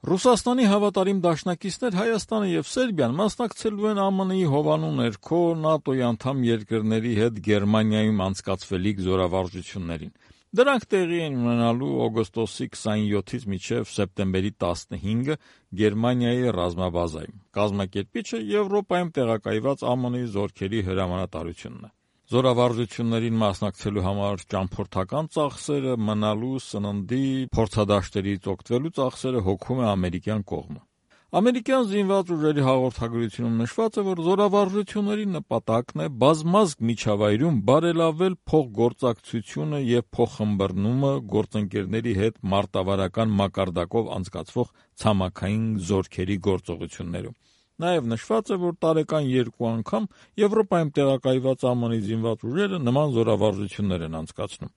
Ռուսաստանի հավատարիմ դաշնակիցներ Հայաստանը եւ Սերբիան մասնակցելու են ԱՄՆ-ի հովանու ներքո ՆԱՏՕ-ի անդամ երկրների հետ Գերմանիայում անցկացվելիք զորավարժություններին։ Դրանք տեղի են ունենալու օգոստոսի 27-ից մինչև սեպտեմբերի 15-ը Գերմանիայի ռազմաբազայում։ Կազմակերպիչը Եվրոպայում տեղակայված ԱՄՆ-ի զորքերի հրամանատարությունն է։ Զորավարժություններին մասնակցելու համար ճամփորդական ծախսերը, մնալու, սննդի, փորձադաշտերից օգտվելու ծախսերը հոգում է ամերիկյան կողմը։ Ամերիկյան զինված ուժերի հաղորդագրությունում նշված է, որ զորավարժությունների նպատակն է բազմազգ միջավայրում բարելավել փոխգործակցությունը եւ փոխըմբռնումը գործընկերների հետ մարտավարական մակարդակով անցկացվող ցամաքային զորքերի գործողություններում։ Նաև նշված է, որ տարեկան 2 անգամ Եվրոպայում տեղակայված ԱՄՆ-ի զինված ուժերը նման զորավարժություններ են անցկացնում։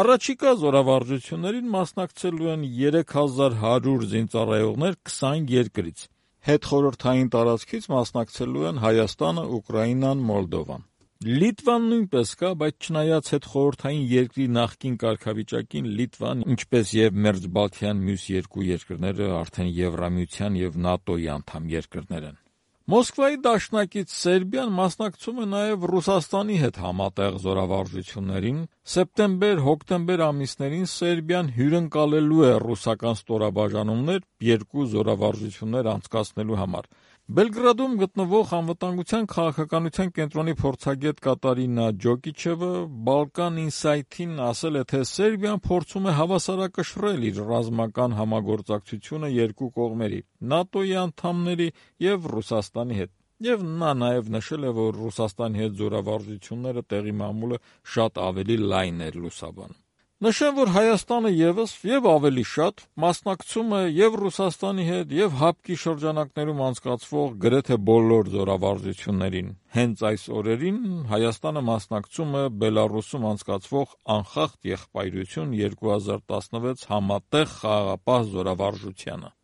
Առաջիկա զորավարժություններին մասնակցելու են 3100 զինծառայողներ 20 երկրից։ Հետխորհրդային տարածքից մասնակցելու են Հայաստանը, Ուկրաինան, Մոլդովան։ Լիտվան նույնպես կա, բայց չնայած հետխորհրդային երկրի նախկին կարգավիճակին, Լիտվան, ինչպես եւ Մերձբալթյան մյուս երկու երկրները արդեն Եվրամիության եւ ՆԱՏՕ-ի անդամ երկրներ են։ Մոսկվայի դաշնակից Սերբիան մասնակցում է նաև Ռուսաստանի հետ համատեղ զորավարժություններին։ Սեպտեմբեր-հոկտեմբեր ամիսներին Սերբիան հյուրընկալելու է ռուսական ստորաբաժանումներ 2 զորավարժություններ անցկացնելու համար։ Բելգրադում գտնվող անվտանգության քաղաքականության կենտրոնի փորձագետ Կատարինա Ջոկիչևը Balkan Insight-ին ասել է, թե Սերբիան փորձում է հավասարակշռել իր ռազմական համագործակցությունը երկու կողմերի՝ ՆԱՏՕ-ի անդամների եւ Ռուսաստանի հետ։ Եվ նա նաև նշել է, որ Ռուսաստանի հետ զորավարժությունները տեղի մամուլը շատ ավելի լայն էր լուսաբանում։ Նշեմ, որ Հայաստանը ևս եւ ավելի շատ մասնակցում է եւ Ռուսաստանի հետ եւ ՀԱՊԿ-ի շրջանակներում անցկացվող գրեթե բոլոր զորավարժություններին։ Հենց այս օրերին Հայաստանը մասնակցում է Բելառուսում անցկացվող Անխախտ եղբայրություն 2016 համատեղ խաղաղապահ զորավարժությանը։